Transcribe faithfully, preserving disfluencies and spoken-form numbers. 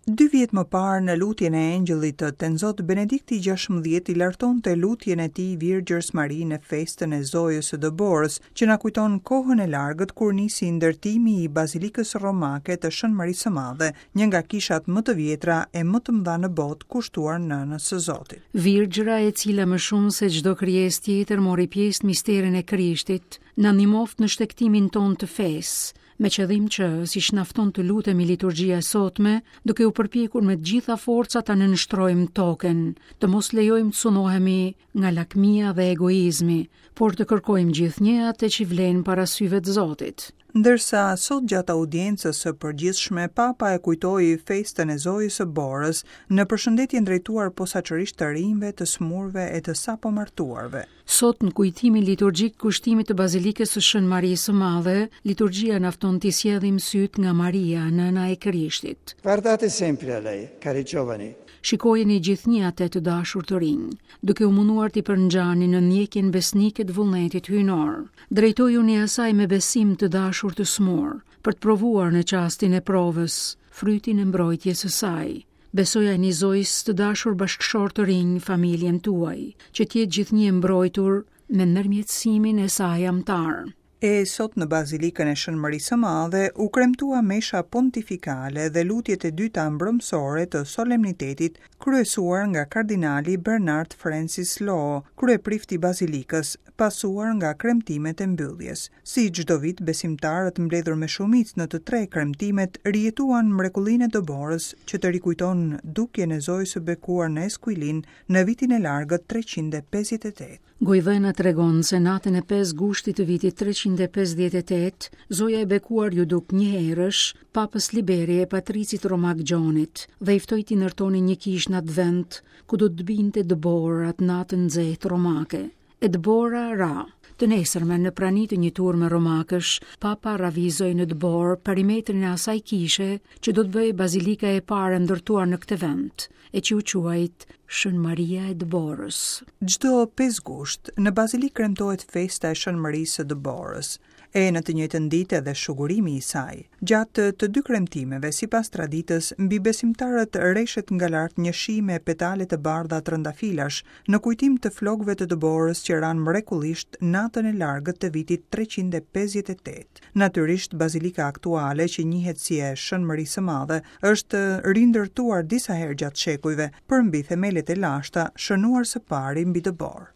Dy vjet më parë në lutjen e Engjëllit të Tenzot, Benedikti gjashtëmbëdhjetë i lartonte lutjen e tij Virgjërs Mari në festën e Zojës së Dëborës, që na kujton kohën e largët kur nisi ndërtimi i Bazilikës Romake të Shën Marisë së Madhe, një nga kishat më të vjetra e më të mëdha në botë kushtuar nënës së Zotit. Virgjëra, e cila më shumë se çdo krijesë tjetër mori pjesë në misterin e Krishtit, na ndihmoftë në shtegtimin tonë të fesë, me qëllim që, siç na fton të lutemi liturgjia e sotme, duke u përpjekur me të gjitha forcat ta nënshtrojmë tokën, të mos lejojmë të sunohemi nga lakmia dhe egoizmi, por të kërkojmë gjithnjë atë që vlen para syve të Zotit. Ndërsa sot gjatë audiencës së përgjithshme, Papa e kujtoi festën e Zojës së Borës në përshëndetjen drejtuar posaçërisht të rinjve, të smurve e të sapomartuarve. Sot në kujtimin liturgjik kushtimit të Bazilikës së Shën Marisë së Madhe, liturgjia na fton t'i sjellim syt nga Maria, nëna e Krishtit. Guardate sempre a lei, cari giovani. Shikojeni gjithnjë atë të dashur të rinj, duke u munduar t'i përngjani në ndjekjen besnike të vullnetit hyjnor. Drejtojuni asaj me besim të dashur të smur, për të provuar në çastin e provës frytin e mbrojtjes së saj. Besojani Zojës të dashur bashkëshort të rinj familjen tuaj, që të jetë gjithnjë e mbrojtur me ndërmjetësimin e saj amtar. E sot në Bazilikën e Shën Marisë së Madhe u kremtua mesha pontifikale dhe lutjet e dyta mbrëmsore të solemnitetit, kryesuar nga kardinali Bernard Francis Law, kryeprift i Bazilikës, pasuar nga kremtimet e mbylljes. Si çdo vit, besimtarët mbledhur me shumicë në të tre kremtimet rijetuan mrekullinë e dëborës që të rikujton dukjen e Zojës së bekuar në Esquilin në vitin e largët treqind e pesëdhjetë e tetë. Gojvëna tregon se natën e pesë gushtit të vitit treqind e pesëdhjetë e tetë, Zoja e bekuar ju duk njëherësh Papës Liberi e Patricit Romak Gjonit dhe i ftoi t'i ndërtonin një kishë në atë vend ku do të binte dëborë atë natën nxehtë romake. E dëbora ra. Të nesërmen, në prani të një turme romakësh, Papa ravizoi në dëborë perimetrin e asaj kishe që do të bëhej bazilika e parë e ndërtuar në këtë vend, e që u quajt Shën Maria e Dëborës. Çdo pesë gusht, në bazilikë kremtohet festa e Shën Marisë së Dëborës, e në të njëjtën ditë edhe shugurimi i saj. Gjatë të dy kremtimeve, sipas traditës, mbi besimtarët reshet nga lart një shi me petale të bardha trëndafilash, në kujtim të flokëve të dëborës që ranë mrekullisht natën e largët të vitit treqind e pesëdhjetë e tetë. Natyrisht, bazilika aktuale, që njihet si e Shën Marisë së Madhe, është rindërtuar disa herë gjatë shekujve, përmbi themelet e lashta, shënuar së pari mbi dëborë.